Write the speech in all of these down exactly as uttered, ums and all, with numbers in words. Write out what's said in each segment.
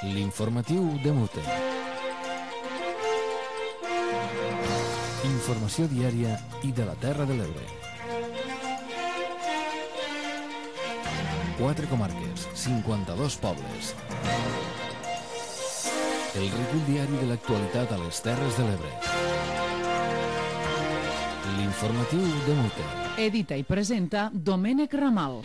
L'informatiu de Mute. Informació diària i de la Terra de l'Ebre. Quatre comarques, cinquanta-dos pobles. El recull diari de l'actualitat a les Terres de l'Ebre. L'informatiu de Mute. Edita i presenta Domènec Ramal.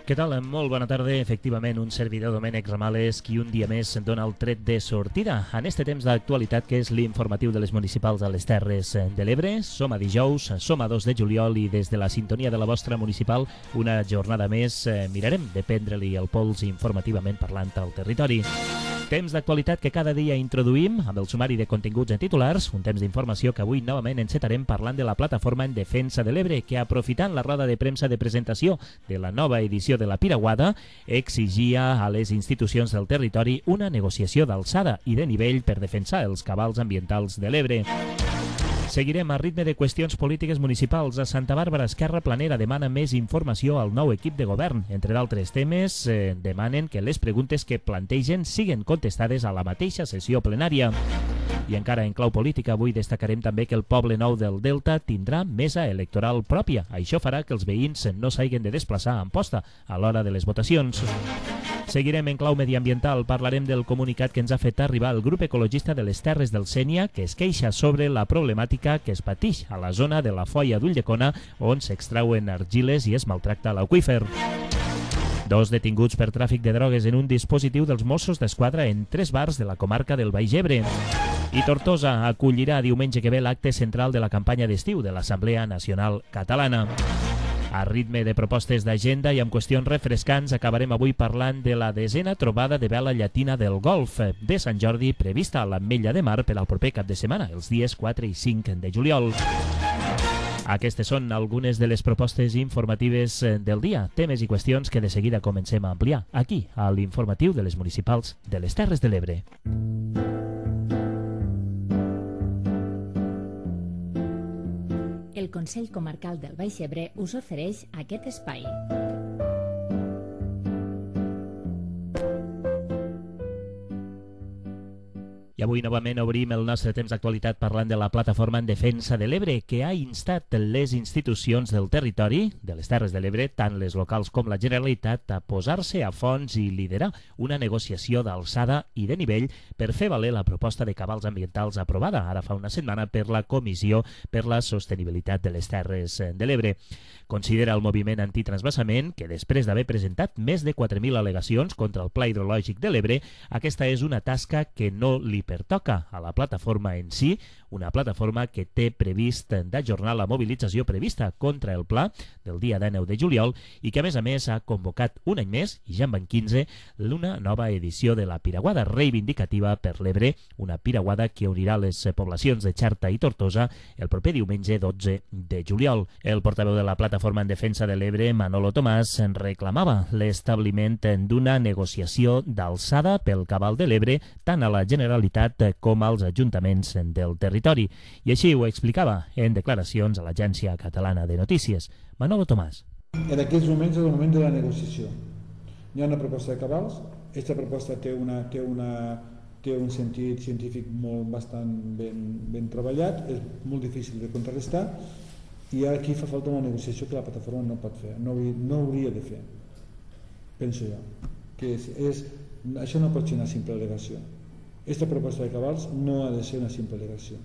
Què tal? Molt bona tarda. Efectivament, un servidor, Domènec Ramal, és qui un dia més dona el tret de sortida en este temps d'actualitat que és l'informatiu de les municipals a les Terres de l'Ebre. Som a dijous, som a dos de juliol i des de la sintonia de la vostra municipal una jornada més eh, mirarem de prendre-li el pols informativament parlant al territori. Temps d'actualitat que cada dia introduïm amb el sumari de continguts en titulars, un temps d'informació que avui novament encetarem parlant de la plataforma en defensa de l'Ebre, que aprofitant la roda de premsa de presentació de la nova edició de la Piraguada, exigia a les institucions del territori una negociació d'alçada i de nivell per defensar els cabals ambientals de l'Ebre. Seguirem a ritme de qüestions polítiques municipals. A Santa Bàrbara, Esquerra Planera demana més informació al nou equip de govern. Entre d'altres temes, eh, demanen que les preguntes que plantegen siguen contestades a la mateixa sessió plenària. I encara en clau política, avui destacarem també que el Poble Nou del Delta tindrà mesa electoral pròpia. Això farà que els veïns no s'hagin de desplaçar a Amposta a l'hora de les votacions. Seguirem en clau mediambiental. Parlarem del comunicat que ens ha fet arribar el grup ecologista de les Terres del Sénia, que es queixa sobre la problemàtica que es patix a la zona de la Foia d'Ulldecona, on s'extrauen argiles i es maltracta l'aqüífer. Dos detinguts per tràfic de drogues en un dispositiu dels Mossos d'Esquadra en tres bars de la comarca del Baix Ebre. I Tortosa acollirà diumenge que ve l'acte central de la campanya d'estiu de l'Assemblea Nacional Catalana. A ritme de propostes d'agenda i amb qüestions refrescants acabarem avui parlant de la desena trobada de vela llatina del Golf de Sant Jordi prevista a l'Ametlla de Mar per al proper cap de setmana, els dies quatre i cinc de juliol. Aquestes són algunes de les propostes informatives del dia, temes i qüestions que de seguida comencem a ampliar aquí, a l'informatiu de les municipals de les Terres de l'Ebre. El Consell Comarcal del Baix Ebre us ofereix aquest espai. I avui novament obrim el nostre temps d'actualitat parlant de la plataforma en defensa de l'Ebre, que ha instat les institucions del territori, de les Terres de l'Ebre, tant les locals com la Generalitat, a posar-se a fons i liderar una negociació d'alçada i de nivell per fer valer la proposta de cabals ambientals aprovada ara fa una setmana per la Comissió per la Sostenibilitat de les Terres de l'Ebre. Considera el moviment antitransvasament que després d'haver presentat més de quatre mil al·legacions contra el Pla Hidrològic de l'Ebre, aquesta és una tasca que no li pertoca a la plataforma en si, una plataforma que té previst d'ajornar la mobilització prevista contra el pla del dia dinou de juliol i que a més a més ha convocat un any més, i ja en van quinze, una nova edició de la Piraguada reivindicativa per l'Ebre, una Piraguada que unirà les poblacions de Xerta i Tortosa el proper diumenge dotze de juliol. El portaveu de la plataforma en defensa de l'Ebre, Manolo Tomàs, reclamava l'establiment d'una negociació d'alçada pel cabal de l'Ebre tant a la Generalitat com als ajuntaments del territori. I així ho explicava en declaracions a l'Agència Catalana de Notícies. Manolo Tomàs. En aquests moments és el moment de la negociació. Hi ha una proposta de cabals, aquesta proposta té, una, té, una, té un sentit científic molt bastant ben, ben treballat, és molt difícil de contrarrestar, i aquí fa falta una negociació que la plataforma no pot fer, no, no hauria de fer, penso jo. Que és, és, això no pot ser una simple al·legació. Aquesta proposta de cabals no ha de ser una simple al·legació.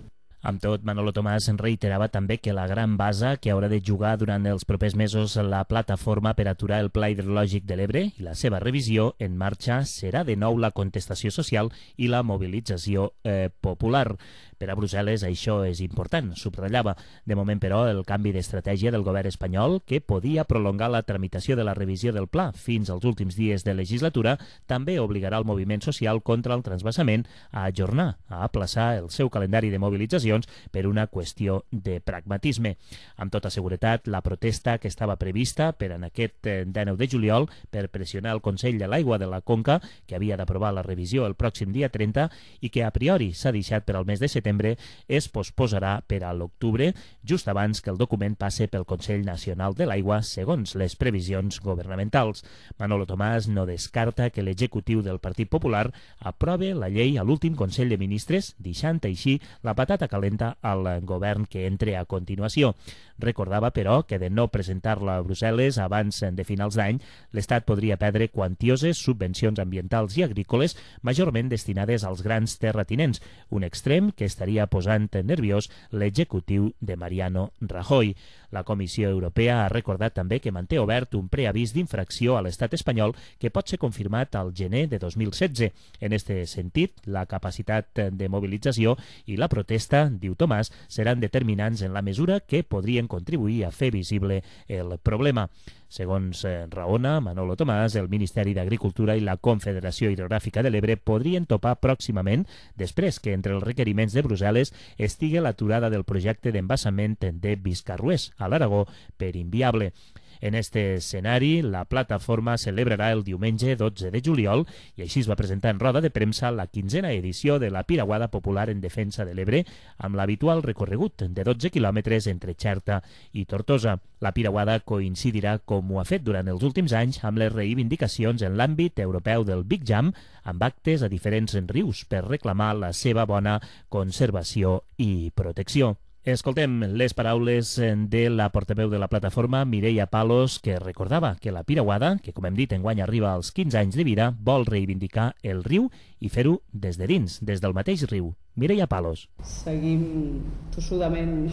Amb tot, Manolo Tomàs reiterava també que la gran base que haurà de jugar durant els propers mesos la plataforma per aturar el Pla Hidrològic de l'Ebre i la seva revisió en marxa serà de nou la contestació social i la mobilització eh, popular. Per a Brussel·les això és important, subratllava. De moment, però, el canvi d'estratègia del govern espanyol, que podia prolongar la tramitació de la revisió del pla fins als últims dies de legislatura, també obligarà el moviment social contra el transvasament a ajornar, a aplaçar el seu calendari de mobilitzacions per una qüestió de pragmatisme. Amb tota seguretat, la protesta que estava prevista per en aquest dinou de juliol per pressionar el Consell de l'Aigua de la Conca, que havia d'aprovar la revisió el pròxim dia trenta i que a priori s'ha deixat per al mes de setembre, setembre es posposarà per a l'octubre, just abans que el document passe pel Consell Nacional de l'Aigua, segons les previsions governamentals. Manolo Tomàs no descarta que l'executiu del Partit Popular aprove la llei a l'últim Consell de Ministres, deixant així la patata calenta al govern que entre a continuació. Recordava, però, que de no presentar-la a Brussel·les abans de finals d'any, l'Estat podria perdre quantioses subvencions ambientals i agrícoles, majorment destinades als grans terratinents, un extrem que estaria posant nerviós l'executiu de Mariano Rajoy. La Comissió Europea ha recordat també que manté obert un preavís d'infracció a l'estat espanyol que pot ser confirmat al gener de dos mil setze. En este sentit, la capacitat de mobilització i la protesta, diu Tomàs, seran determinants en la mesura que podrien contribuir a fer visible el problema. Segons raona Manolo Tomàs, el Ministeri d'Agricultura i la Confederació Hidrogràfica de l'Ebre podrien topar pròximament després que entre els requeriments de Brussel·les estigui l'aturada del projecte d'embassament de Viscarrués, a l'Aragó, per inviable. En este escenari, la plataforma celebrarà el diumenge dotze de juliol i així es va presentar en roda de premsa la quinzena edició de la Piraguada Popular en Defensa de l'Ebre amb l'habitual recorregut de dotze quilòmetres entre Xerta i Tortosa. La Piraguada coincidirà, com ho ha fet durant els últims anys, amb les reivindicacions en l'àmbit europeu del Big Jam, amb actes a diferents rius per reclamar la seva bona conservació i protecció. Escoltem les paraules de la portaveu de la plataforma, Mireia Palos, que recordava que la Piraguada, que com hem dit enguany arriba als quinze anys de vida, vol reivindicar el riu i fer-ho des de dins, des del mateix riu. Mireia Palos. Seguim tossudament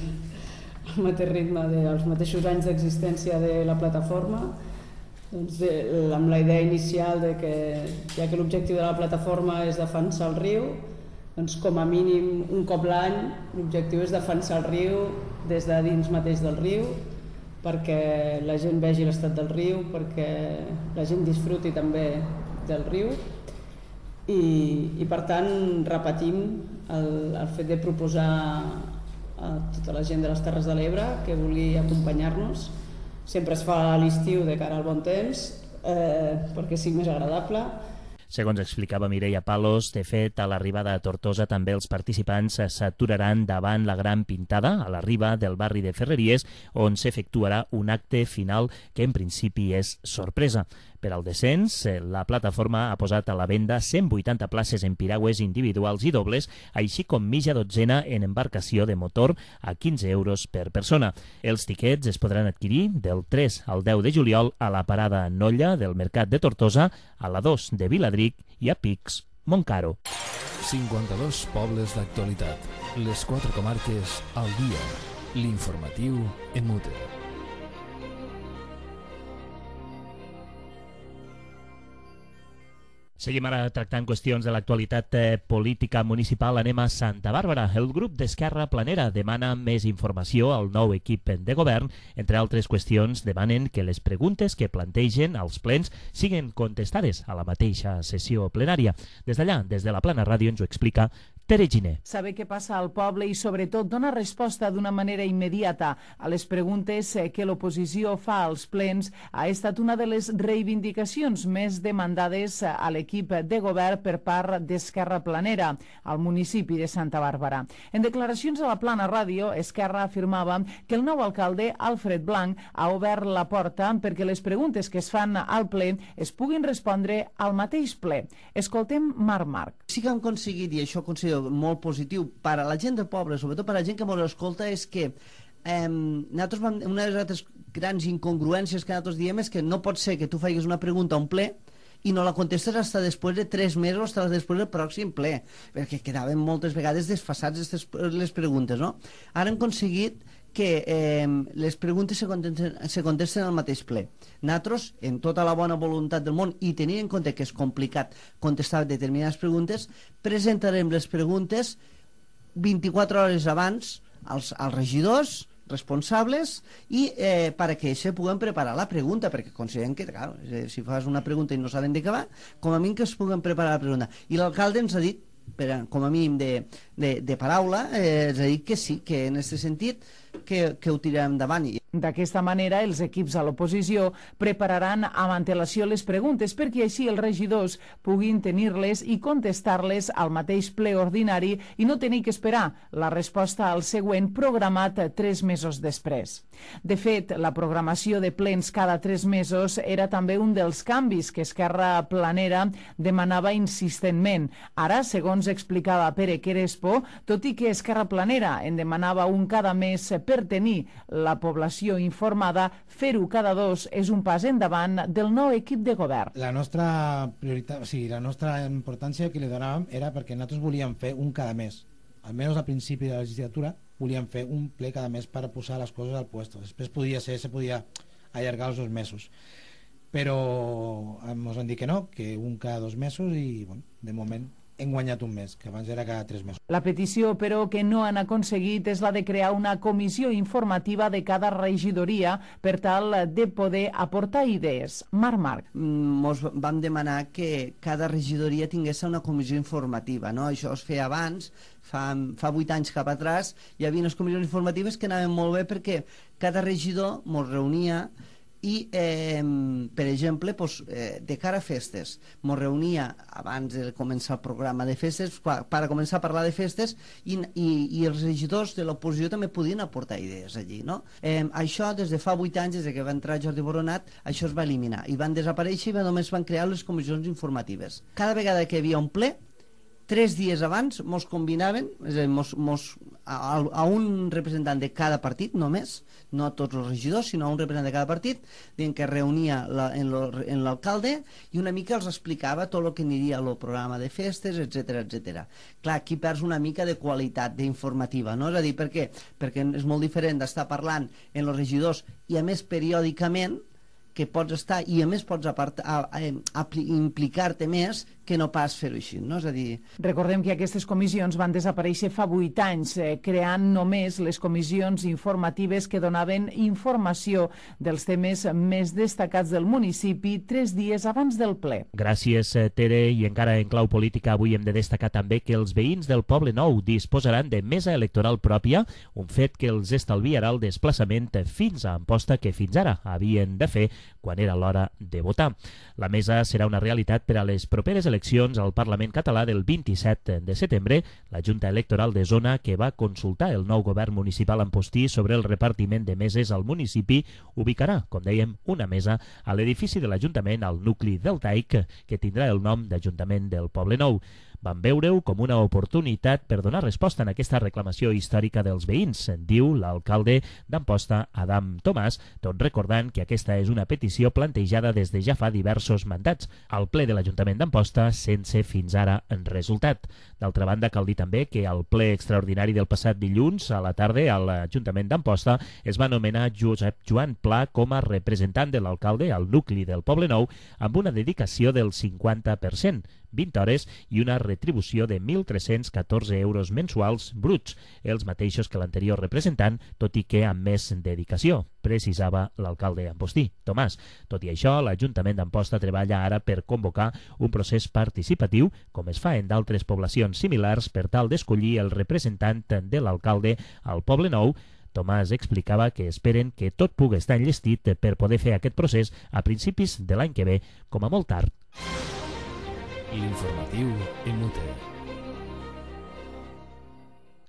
al mateix ritme dels mateixos anys d'existència de la plataforma, doncs de, amb la idea inicial de que, ja que l'objectiu de la plataforma és defensar el riu, doncs com a mínim un cop l'any l'objectiu és defensar el riu des de dins mateix del riu, perquè la gent vegi l'estat del riu, perquè la gent disfruti també del riu i, i per tant repetim el, el fet de proposar a tota la gent de les Terres de l'Ebre que vulgui acompanyar-nos. Sempre es fa a l'estiu de cara al bon temps eh, perquè sigui més agradable. Segons explicava Mireia Palos, de fet, a l'arribada a Tortosa també els participants s'aturaran davant la gran pintada a la riba del barri de Ferreries, on s'efectuarà un acte final que en principi és sorpresa. Per al descens, la plataforma ha posat a la venda cent vuitanta places en piragües individuals i dobles, així com mitja dotzena en embarcació de motor a quinze euros per persona. Els tiquets es podran adquirir del tres al deu de juliol a la parada Nolla del Mercat de Tortosa, a la dos de Viladric i a Pics, Montcaro. cinquanta-dos pobles d'actualitat. Les quatre comarques al dia. L'informatiu en Mute. Seguim ara tractant qüestions de l'actualitat eh, política municipal. Anem a Santa Bàrbara. El grup d'Esquerra Planera demana més informació al nou equip de govern. Entre altres qüestions, demanen que les preguntes que plantegen als plens siguin contestades a la mateixa sessió plenària. Des d'allà, des de la Plana Ràdio, ens ho explica Tere Giner. Saber què passa al poble i, sobretot, donar resposta d'una manera immediata a les preguntes que l'oposició fa als plens ha estat una de les reivindicacions més demandades a l'equip de govern per part d'Esquerra Planera al municipi de Santa Bàrbara. En declaracions a la Plana Ràdio, Esquerra afirmava que el nou alcalde, Alfred Blanc, ha obert la porta perquè les preguntes que es fan al ple es puguin respondre al mateix ple. Escoltem Marc Marc. Sí que hem aconseguit, i això considero molt positiu per a la gent del poble, sobretot per a la gent que ens escolta, és que eh, nosaltres vam, una de les altres grans incongruències que nosaltres diem és que no pot ser que tu faigues una pregunta a un ple i no la contestes fins després de tres mesos, fins després del pròxim ple, perquè quedaven moltes vegades desfasats les preguntes, no? Ara hem aconseguit que eh, les preguntes se contesten, se contesten al mateix ple. Nosaltres, en tota la bona voluntat del món i tenint en compte que és complicat contestar determinades preguntes, presentarem les preguntes vint-i-quatre hores abans als, als regidors responsables i eh, perquè se puguen preparar la pregunta, perquè considerem que, clar, si fas una pregunta i no saben de què va, com a mínim que es puguen preparar la pregunta. I l'alcalde ens ha dit, per, com a mínim de, de, de paraula, eh, ens ha dit que sí, que en aquest sentit que, que ho tirarem endavant. D'aquesta manera, els equips a l'oposició prepararan amb antelació les preguntes perquè així els regidors puguin tenir-les i contestar-les al mateix ple ordinari i no tenir que esperar la resposta al següent programat tres mesos després. De fet, la programació de plens cada tres mesos era també un dels canvis que Esquerra Planera demanava insistentment. Ara, segons explicava Pere Querespo, tot i que Esquerra Planera en demanava un cada mes per tenir la població informada, fer-ho cada dos és un pas endavant del nou equip de govern. La nostra prioritat, o sigui, la nostra importància que li donàvem era perquè nosaltres volíem fer un cada mes. Almenys al principi de la legislatura volíem fer un ple cada mes per posar les coses al puesto. Després podia ser, se podia allargar els dos mesos. Però ens han dit que no, que un cada dos mesos i, bueno, de moment hem guanyat un mes, que abans era cada tres mesos. La petició, però, que no han aconseguit és la de crear una comissió informativa de cada regidoria per tal de poder aportar idees. Marc Marc. Ens vam demanar que cada regidoria tingués una comissió informativa, no? Això es feia abans, fa, fa vuit anys cap atràs, hi havia unes comissions informatives que anaven molt bé perquè cada regidor ens reunia i, eh, per exemple, pues, eh, de cara a festes, ens reunia abans de començar el programa de festes, per començar a parlar de festes, i, i, i els regidors de l'oposició també podien aportar idees allí, no? Eh, això, des de fa vuit anys, des que va entrar Jordi Boronat, això es va eliminar, i van desaparèixer i només van crear les comissions informatives. Cada vegada que hi havia un ple, tres dies abans mos combinaven, és a dir, mos, mos, a, a un representant de cada partit només, no a tots els regidors, sinó a un representant de cada partit, dient que reunia la, en l'alcalde i una mica els explicava tot el que aniria al programa de festes, etcètera, etcètera. Clar, aquí perds una mica de qualitat d'informativa, no? És a dir, per què? Perquè és molt diferent d'estar parlant en els regidors i a més periòdicament que pots estar i a més pots apartar, a, a, a, implicar-te més que no pas fer-ho així, no? És a dir... Recordem que aquestes comissions van desaparèixer fa vuit anys, eh, creant només les comissions informatives que donaven informació dels temes més destacats del municipi tres dies abans del ple. Gràcies, Tere, i encara en clau política avui hem de destacar també que els veïns del Poble Nou disposaran de mesa electoral pròpia, un fet que els estalviarà el desplaçament fins a Amposta que fins ara havien de fer quan era l'hora de votar. La mesa serà una realitat per a les properes eleccions al Parlament català del vint-i-set de setembre. La Junta Electoral de Zona, que va consultar el nou govern municipal ampostí sobre el repartiment de meses al municipi, ubicarà, com dèiem, una mesa a l'edifici de l'Ajuntament al nucli del Taic, que tindrà el nom d'Ajuntament del Poble Nou. Van veure-ho com una oportunitat per donar resposta en aquesta reclamació històrica dels veïns, diu l'alcalde d'Amposta, Adam Tomàs, tot recordant que aquesta és una petició plantejada des de ja fa diversos mandats al ple de l'Ajuntament d'Amposta sense fins ara en resultat. D'altra banda, cal dir també que al ple extraordinari del passat dilluns a la tarda a l'Ajuntament d'Amposta es va nomenar Josep Joan Pla com a representant de l'alcalde al nucli del Poble Nou amb una dedicació del cinquanta per cent, vint hores i una retribució de mil tres-cents catorze euros mensuals bruts, els mateixos que l'anterior representant, tot i que amb més dedicació, precisava l'alcalde ampostí, Tomàs. Tot i això, l'Ajuntament d'Amposta treballa ara per convocar un procés participatiu, com es fa en d'altres poblacions similars, per tal d'escollir el representant de l'alcalde al Poble Nou. Tomàs explicava que esperen que tot pugui estar enllestit per poder fer aquest procés a principis de l'any que ve, com a molt tard. L'informatiu en Mute.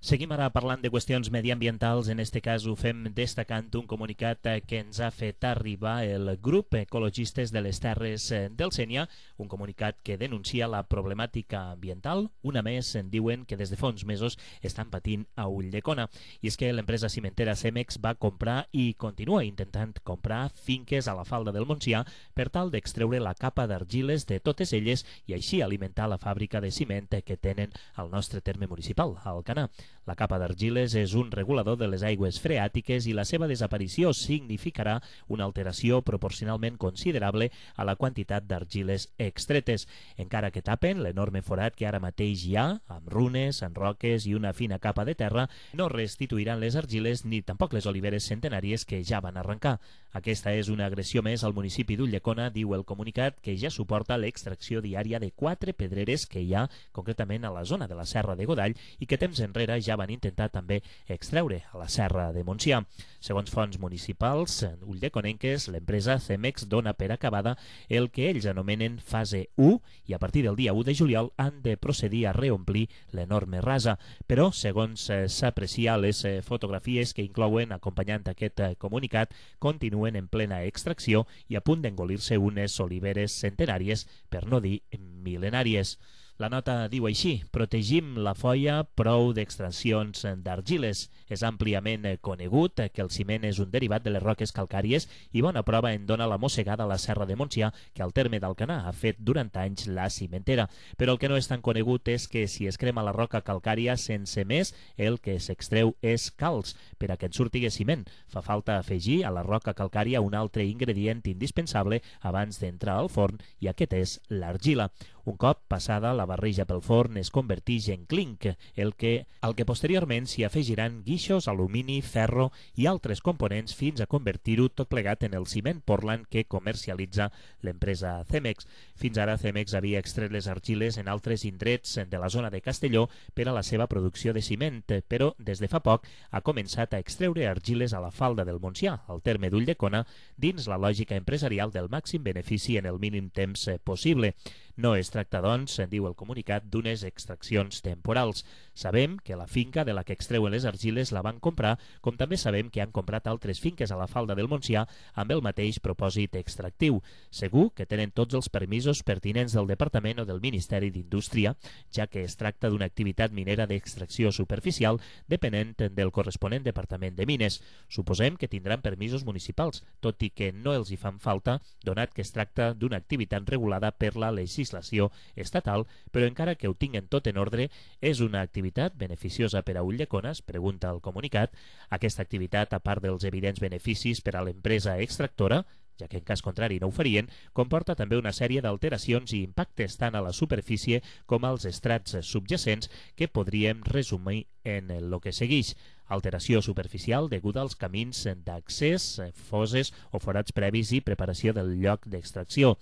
Seguim ara parlant de qüestions mediambientals, en este cas ho fem destacant un comunicat que ens ha fet arribar el grup Ecologistes de les Terres del Sénia, un comunicat que denuncia la problemàtica ambiental. Una més, en diuen que des de fa uns mesos estan patint a Ulldecona. I és que l'empresa cimentera Cemex va comprar i continua intentant comprar finques a la falda del Montsià per tal d'extreure la capa d'argiles de totes elles i així alimentar la fàbrica de ciment que tenen al nostre terme municipal, a Alcanar. La capa d'argiles és un regulador de les aigües freàtiques i la seva desaparició significarà una alteració proporcionalment considerable a la quantitat d'argiles extretes. Encara que tapen l'enorme forat que ara mateix hi ha, amb runes, amb roques i una fina capa de terra, no restituiran les argiles ni tampoc les oliveres centenàries que ja van arrencar. Aquesta és una agressió més al municipi d'Ulldecona, diu el comunicat, que ja suporta l'extracció diària de quatre pedreres que hi ha concretament a la zona de la Serra de Godall i que temps enrere ja van intentar també extreure a la Serra de Montsià. Segons fonts municipals ulldeconenques, l'empresa Cemex dona per acabada el que ells anomenen fase u i a partir del dia u de juliol han de procedir a reomplir l'enorme rasa. Però, segons s'aprecia, les fotografies que inclouen acompanyant aquest comunicat continuen en plena extracció i a punt d'engolir-se unes oliveres centenàries, per no dir mil·lenàries. La nota diu així: protegim la foia, prou d'extraccions d'argiles. És àmpliament conegut que el ciment és un derivat de les roques calcàries i bona prova en dona la mossegada a la Serra de Montsià, que al terme d'Alcanar ha fet durant anys la cimentera. Però el que no és tan conegut és que si es crema la roca calcària sense més, el que s'extreu és calç. Per a que en surti ciment, fa falta afegir a la roca calcària un altre ingredient indispensable abans d'entrar al forn, i aquest és l'argila. Un cop passada la barreja pel forn es converteix en clinc, el que, al que posteriorment s'hi afegiran guixos, alumini, ferro i altres components fins a convertir-ho tot plegat en el ciment Portland que comercialitza l'empresa Cemex. Fins ara Cemex havia extret les argiles en altres indrets de la zona de Castelló per a la seva producció de ciment, però des de fa poc ha començat a extreure argiles a la falda del Montsià, al terme d'Ulldecona, dins la lògica empresarial del màxim benefici en el mínim temps possible. No es tracta, doncs, diu el comunicat, d'unes extraccions temporals. Sabem que la finca de la que extreuen les argiles la van comprar, com també sabem que han comprat altres finques a la falda del Montsià amb el mateix propòsit extractiu. Segur que tenen tots els permisos pertinents del Departament o del Ministeri d'Indústria, ja que es tracta d'una activitat minera d'extracció superficial depenent del corresponent Departament de Mines. Suposem que tindran permisos municipals, tot i que no els hi fan falta, donat que es tracta d'una activitat regulada per la legislació estatal, però encara que ho tinguen tot en ordre, és una activitat beneficiosa per a Ulldecona, es pregunta el comunicat. Aquesta activitat, a part dels evidents beneficis per a l'empresa extractora, ja que en cas contrari no ho farien, comporta també una sèrie d'alteracions i impactes tant a la superfície com als estrats subjacents que podríem resumir en el que segueix. Alteració superficial deguda als camins d'accés, fosses o forats previs i preparació del lloc d'extracció.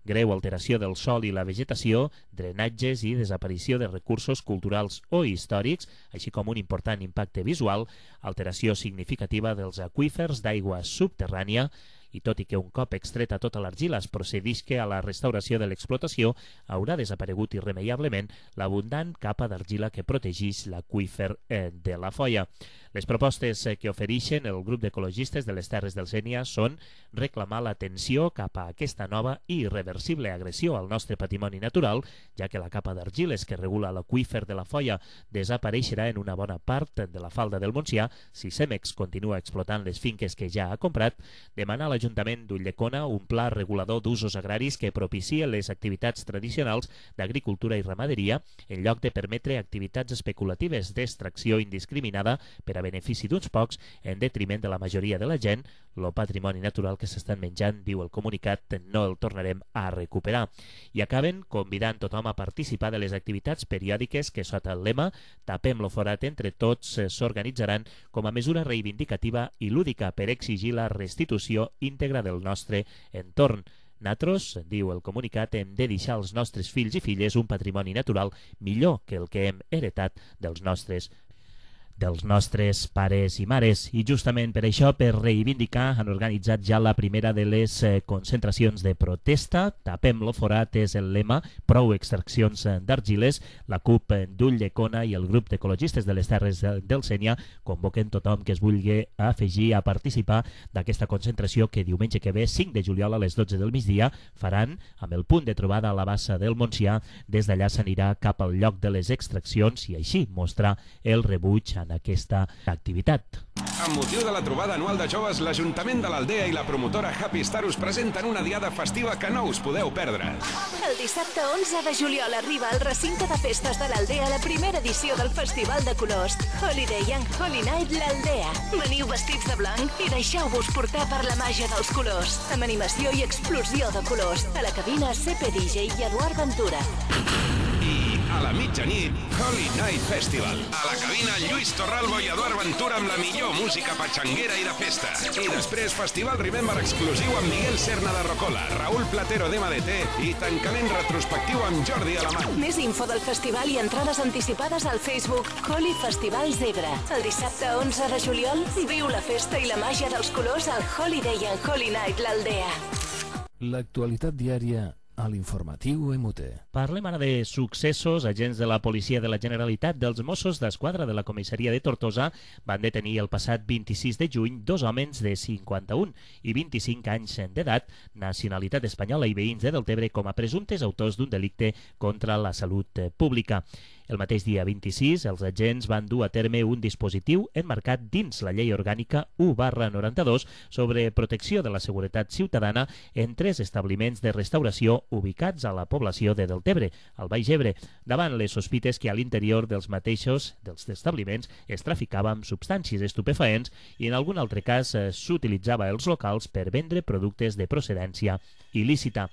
Greu alteració del sòl i la vegetació, drenatges i desaparició de recursos culturals o històrics, així com un important impacte visual, alteració significativa dels aqüífers d'aigua subterrània, i tot i que un cop extreta tota l'argila es procedisca a la restauració de l'explotació, haurà desaparegut irremeiablement l'abundant capa d'argila que protegeix l'aqüífer de la foia. Les propostes que ofereixen el grup d'ecologistes de les Terres del Sénia són reclamar l'atenció cap a aquesta nova i irreversible agressió al nostre patrimoni natural, ja que la capa d'argiles que regula l'aqüífer de la foia desapareixerà en una bona part de la falda del Montsià si Cemex continua explotant les finques que ja ha comprat, demanar a l'Ajuntament d'Ulldecona un pla regulador d'usos agraris que propicie les activitats tradicionals d'agricultura i ramaderia en lloc de permetre activitats especulatives d'extracció indiscriminada per a benefici d'uns pocs en detriment de la majoria de la gent. Lo patrimoni natural que s'estan menjant, diu el comunicat, no el tornarem a recuperar. I acaben convidant tothom a participar de les activitats periòdiques que sota el lema Tapem lo forat entre tots s'organitzaran com a mesura reivindicativa i lúdica per exigir la restitució íntegra del nostre entorn. Natros, diu el comunicat, hem de deixar als nostres fills i filles un patrimoni natural millor que el que hem heretat dels nostres dels nostres pares i mares. I justament per això, per reivindicar, han organitzat ja la primera de les eh, concentracions de protesta. Tapem lo forat és el lema, prou extraccions d'argiles. La CUP d'Ulldecona i el grup d'ecologistes de les Terres del Sénia convoquen tothom que es vulgui afegir a participar d'aquesta concentració que diumenge que ve, cinc de juliol a les dotze del migdia, faran amb el punt de trobada a la bassa del Montsià. Des d'allà s'anirà cap al lloc de les extraccions i així mostrar el rebuig en aquesta activitat. Amb motiu de la trobada anual de joves, l'Ajuntament de l'Aldea i la promotora Happy Star us presenten una diada festiva que no us podeu perdre. El dissabte onze de juliol arriba al recinte de festes de l'Aldea la primera edició del Festival de Colors Holiday and Holy Night l'Aldea. Veniu vestits de blanc i deixeu-vos portar per la màgia dels colors, amb animació i explosió de colors. A la cabina C P D J i Eduard Ventura. I A la mitjanit, Holy Night Festival. A la cabina, Lluís Torralbo i Eduard Ventura amb la millor música patxanguera i de festa. I després, Festival Remember exclusiu amb Miguel Serna de Rocola, Raúl Platero d'M D T i tancament retrospectiu amb Jordi Alamany. Més info del festival i entrades anticipades al Facebook Holy Festival Zebra. El dissabte onze de juliol, viu la festa i la màgia dels colors al Holiday and Holy Night l'Aldea. L'actualitat diària a l'informatiu M T. Parlem ara de successos. Agents de la policia de la Generalitat dels Mossos d'Esquadra de la comissaria de Tortosa van detenir el passat vint-i-sis de juny dos homes de cinquanta-un i vint-i-cinc anys d'edat, nacionalitat espanyola i veïns de Deltebre com a presumptes autors d'un delicte contra la salut pública. El mateix dia vint-i-sis, els agents van dur a terme un dispositiu enmarcat dins la Llei Orgànica u barra noranta-dos sobre protecció de la seguretat ciutadana en tres establiments de restauració ubicats a la població de Deltebre, al Baix Ebre, davant les sospites que a l'interior dels mateixos dels establiments es traficava amb substàncies estupefaents i en algun altre cas s'utilitzava els locals per vendre productes de procedència il·lícita.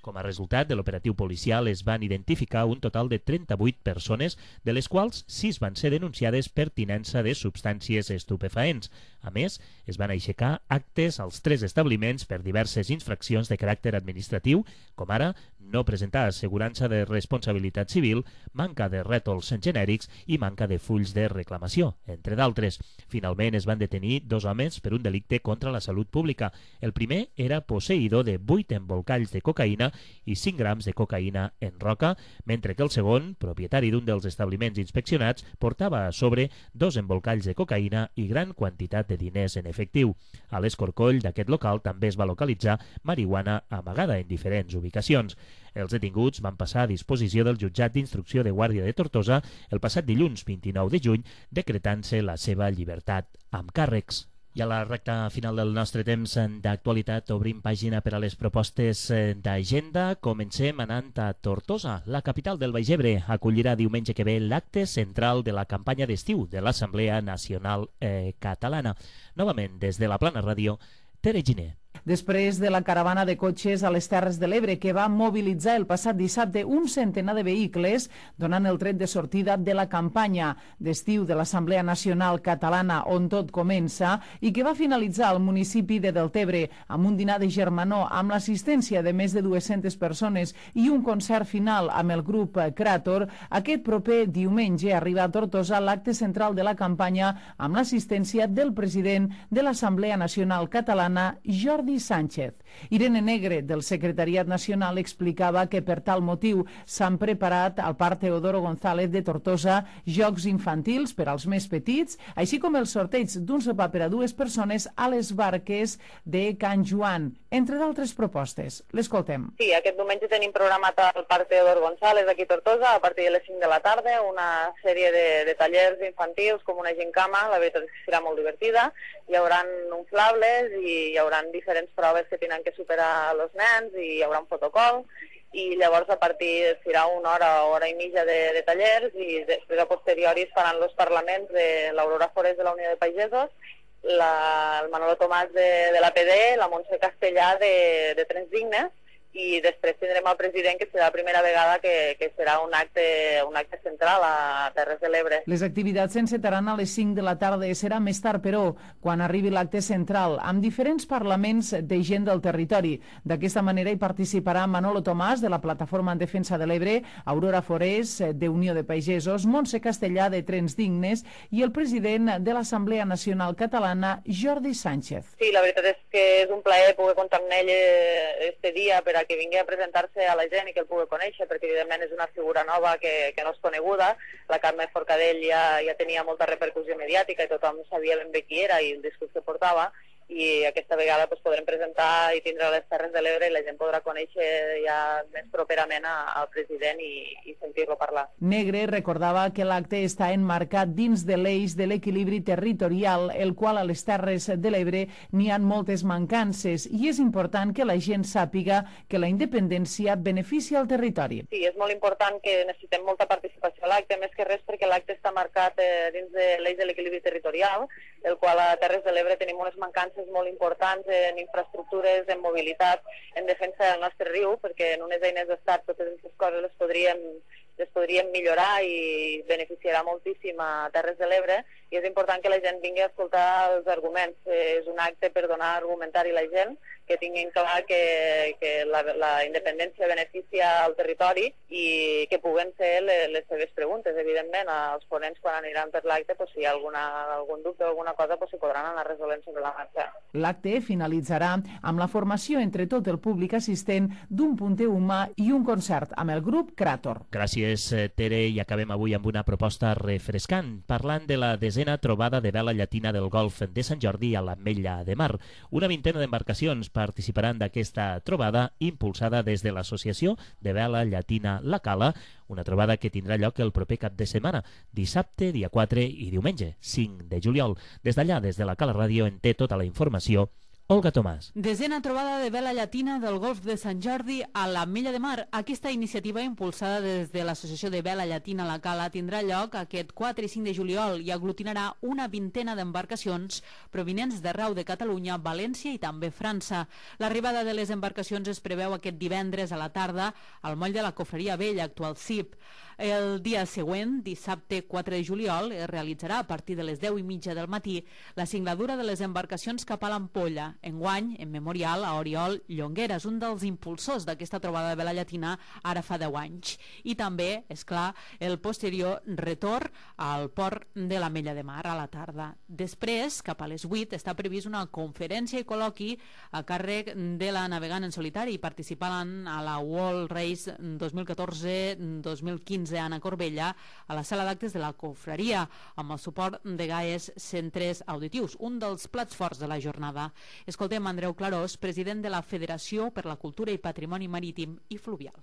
Com a resultat de l'operatiu policial es van identificar un total de trenta-vuit persones, de les quals sis van ser denunciades per tinença de substàncies estupefaents. A més, es van aixecar actes als tres establiments per diverses infraccions de caràcter administratiu, com ara no presentar assegurança de responsabilitat civil, manca de rètols genèrics i manca de fulls de reclamació, entre d'altres. Finalment es van detenir dos homes per un delicte contra la salut pública. El primer era posseïdor de vuit embolcalls de cocaïna i cinc grams de cocaïna en roca, mentre que el segon, propietari d'un dels establiments inspeccionats, portava a sobre dos embolcalls de cocaïna i gran quantitat de diners en efectiu. A l'escorcoll d'aquest local també es va localitzar marihuana amagada en diferents ubicacions. Els detinguts van passar a disposició del jutjat d'instrucció de Guàrdia de Tortosa el passat dilluns vint-i-nou de juny, decretant-se la seva llibertat amb càrrecs. I a la recta final del nostre temps d'actualitat obrim pàgina per a les propostes d'agenda. Comencem anant a Tortosa. La capital del Baix Ebre acollirà diumenge que ve l'acte central de la campanya d'estiu de l'Assemblea Nacional eh, Catalana. Novament, des de la Plana Ràdio, Tere Giner. Després de la caravana de cotxes a les Terres de l'Ebre que va mobilitzar el passat dissabte un centenar de vehicles, donant el tret de sortida de la campanya d'estiu de l'Assemblea Nacional Catalana on tot comença i que va finalitzar al municipi de Deltebre amb un dinar de germanor amb l'assistència de més de dues-centes persones i un concert final amb el grup Krator, aquest proper diumenge arriba a Tortosa l'acte central de la campanya amb l'assistència del president de l'Assemblea Nacional Catalana, Jordi Sánchez. Irene Negre, del Secretariat Nacional, explicava que per tal motiu s'han preparat al Parc Teodoro González de Tortosa jocs infantils per als més petits, així com el sorteig d'un sopar per a dues persones a les barques de Can Joan, entre d'altres propostes. L'escoltem. Sí, aquest diumenge tenim programat al Parc Teodoro González aquí a Tortosa a partir de les cinc de la tarda una sèrie de, de tallers infantils com una gincama, la veritat és que serà molt divertida. Hi haurà inflables i hi haurà diferents proves que tenen que superar els nens i hi haurà un protocol i llavors a partir serà una hora o hora i mitja de, de tallers i després a posteriori es faran els parlaments de l'Aurora Forés de la Unió de Pagesos, la, el Manolo Tomàs de, de l'A P D, la Montse Castellà de, de Trens Dignes i després tindrem el president, que serà la primera vegada que, que serà un acte, un acte central a Terres de l'Ebre. Les activitats s'encetaran a les cinc de la tarda i serà més tard, però, quan arribi l'acte central, amb diferents parlaments de gent del territori. D'aquesta manera hi participarà Manolo Tomàs, de la Plataforma en Defensa de l'Ebre, Aurora Forés, de Unió de Pagesos, Montse Castellà, de Trens Dignes, i el president de l'Assemblea Nacional Catalana, Jordi Sánchez. Sí, la veritat és que és un plaer poder comptar amb ell este dia per a que vingui a presentar-se a la gent i que el pugui conèixer, perquè evidentment és una figura nova que, que no és coneguda. La Carme Forcadell ja, ja tenia molta repercussió mediàtica i tothom sabia ben bé qui era i el discurs que portava, i aquesta vegada pues, podrem presentar i tindre les Terres de l'Ebre i la gent podrà conèixer ja més properament a, al president i, i sentir-lo parlar. Negre recordava que l'acte està enmarcat dins de l'eix de l'equilibri territorial, el qual a les Terres de l'Ebre n'hi ha moltes mancances i és important que la gent sàpiga que la independència beneficia el territori. Sí, és molt important que necessitem molta participació a l'acte, més que res perquè l'acte està marcat eh, dins de l'eix de l'equilibri territorial, el qual a Terres de l'Ebre tenim unes mancances molt importants en infraestructures, en mobilitat, en defensa del nostre riu, perquè en unes eines d'estat totes aquestes coses les podríem les podríem millorar i beneficiarà moltíssim a Terres de l'Ebre, i és important que la gent vingui a escoltar els arguments. És un acte per donar argumentari a la gent, que tinguin clar que, que la, la independència beneficia al territori i que puguen ser les, les seves preguntes. Evidentment, els ponents quan aniran per l'acte, pues, si hi ha alguna, algun dubte o alguna cosa, pues, s'hi podran anar resolent sobre la marxa. L'acte finalitzarà amb la formació entre tot el públic assistent d'un punter humà i un concert amb el grup Crator. Gràcies, Tere, i acabem avui amb una proposta refrescant, parlant de la desena trobada de vela llatina del Golf de Sant Jordi a l'Ametlla de Mar. Una vintena d'embarcacions participaran d'aquesta trobada impulsada des de l'Associació de Vela Llatina La Cala, una trobada que tindrà lloc el proper cap de setmana, dissabte, dia quatre i diumenge, cinc de juliol. Des d'allà, des de la Cala Ràdio, en té tota la informació Olga Tomàs. Desena trobada de vela llatina del Golf de Sant Jordi a l'Ametlla de Mar. Aquesta iniciativa, impulsada des de l'Associació de Vela Llatina La Cala, tindrà lloc aquest quatre i cinc de juliol i aglutinarà una vintena d'embarcacions provinents d'arreu de Catalunya, València i també França. L'arribada de les embarcacions es preveu aquest divendres a la tarda al moll de la Cofreria Vella, actual C I P. El dia següent, dissabte quatre de juliol, es realitzarà a partir de les deu i mitja del matí la singladura de les embarcacions cap a l'Ampolla, enguany en memorial a Oriol Llongueras, un dels impulsors d'aquesta trobada de vela llatina ara fa deu anys. I també, és clar, el posterior retorn al port de l'Ametlla de Mar a la tarda. Després, cap a les vuit, està previst una conferència i col·loqui a càrrec de la navegant en solitari, participant a la World Race dos mil catorze dos mil quinze Anna Corbella a la sala d'actes de la Confraria, amb el suport de Gaes Centres Auditius, un dels plats forts de la jornada. Escoltem Andreu Clarós, president de la Federació per la Cultura i Patrimoni Marítim i Fluvial.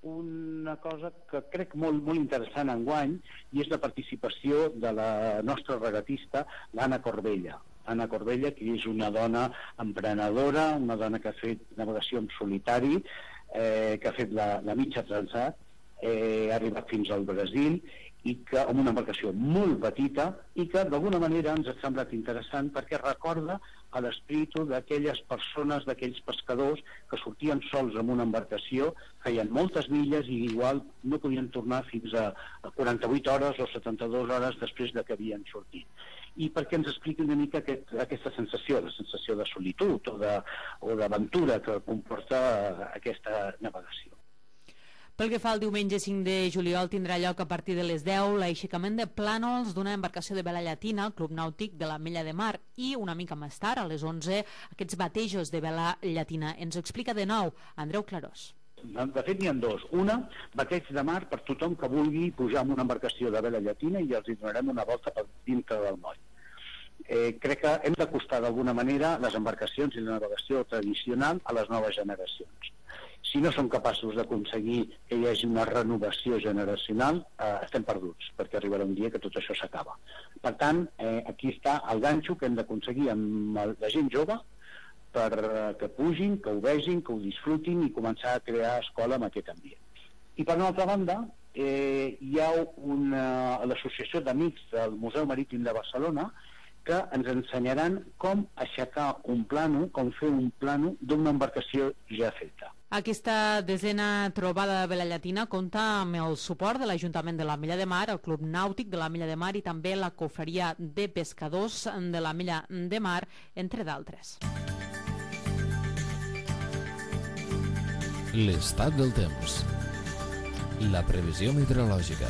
Una cosa que crec molt, molt interessant enguany i és la participació de la nostra regatista, l'Anna Corbella. Anna Corbella, que és una dona emprenedora, una dona que ha fet navegació en solitari, eh, que ha fet la, la mitja transat, eh, ha arribat fins al Brasil, i que amb una embarcació molt petita i que d'alguna manera ens ha semblat interessant perquè recorda a l'espíritu d'aquelles persones, d'aquells pescadors que sortien sols amb una embarcació, feien moltes milles i igual no podien tornar fins a quaranta-vuit hores o setanta-dues hores després de que havien sortit. I perquè ens expliqui una mica aquest, aquesta sensació, la sensació de solitud o de, o d'aventura que comporta aquesta navegació. Pel que fa al diumenge cinc de juliol, tindrà lloc a partir de les deu l'aixecament de plànols d'una embarcació de vela llatina al Club Nàutic de l'Ametlla de Mar i una mica més tard, a les onze, aquests batejos de vela llatina. Ens ho explica de nou Andreu Clarós. De fet, n'hi ha dos. Una, bateig de mar per tothom que vulgui pujar amb una embarcació de vela llatina i els hi donarem una volta per dintre del moll. Eh, crec que hem d'acostar d'alguna manera les embarcacions i la navegació tradicional a les noves generacions. Si no som capaços d'aconseguir que hi hagi una renovació generacional, eh, estem perduts, perquè arribarà un dia que tot això s'acaba. Per tant, eh, aquí està el ganxo que hem d'aconseguir amb la gent jove per que pugin, que ho vegin, que ho disfrutin i començar a crear escola amb aquest ambient. I per una altra banda, eh, hi ha una, l'Associació d'Amics del Museu Marítim de Barcelona que ens ensenyaran com aixecar un plano, com fer un plano d'una embarcació ja feta. Aquesta desena trobada de vela llatina compta amb el suport de l'Ajuntament de l'Ametlla de Mar, el Club Nàutic de l'Ametlla de Mar i també la Cofreria de Pescadors de l'Ametlla de Mar, entre d'altres. L'estat del temps. La previsió meteorològica.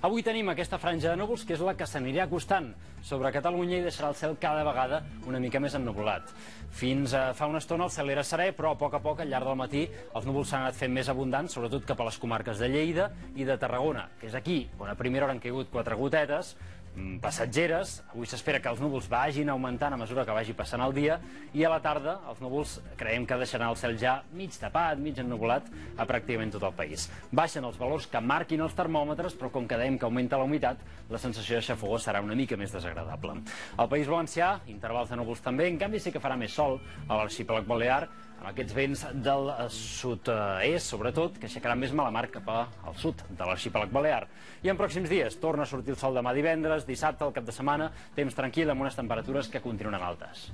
Avui tenim aquesta franja de núvols que és la que s'anirà acostant sobre Catalunya i deixarà el cel cada vegada una mica més ennuvolat. Fins a fa una estona el cel era serè, però a poc a poc, al llarg del matí, els núvols s'han anat fent més abundants, sobretot cap a les comarques de Lleida i de Tarragona, que és aquí on a primera hora han caigut quatre gotetes passatgeres. Avui s'espera que els núvols vagin augmentant a mesura que vagi passant el dia i a la tarda els núvols creiem que deixaran el cel ja mig tapat, mig ennuvolat a pràcticament tot el país. Baixen els valors que marquin els termòmetres, però com que dèiem que augmenta la humitat, la sensació de xafogor serà una mica més desagradable. Al País Valencià, intervals de núvols també, en canvi sí que farà més sol a l'arxipèlag balear, amb aquests vents del sud-est, sobretot, que aixecaran més mala mar cap al sud de l'arxipèlag balear. I en pròxims dies torna a sortir el sol demà divendres, dissabte, al cap de setmana, temps tranquil amb unes temperatures que continuen altes.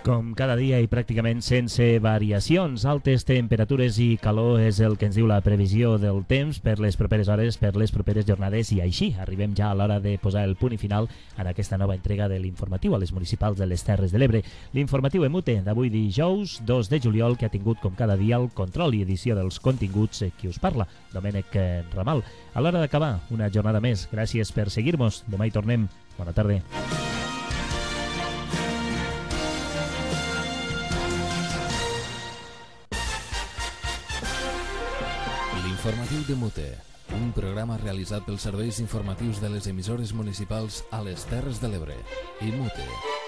Com cada dia i pràcticament sense variacions, altes temperatures i calor és el que ens diu la previsió del temps per les properes hores, per les properes jornades, i així arribem ja a l'hora de posar el punt i final en aquesta nova entrega de l'informatiu a les municipals de les Terres de l'Ebre. L'informatiu Emute d'avui dijous dos de juliol, que ha tingut com cada dia el control i edició dels continguts, qui us parla, Domènec Ramal. A l'hora d'acabar, una jornada més. Gràcies per seguir-nos. Demà hi tornem. Bona tarda. L'informatiu de Mute, un programa realitzat pels serveis informatius de les emissores municipals a les Terres de l'Ebre. I Mute.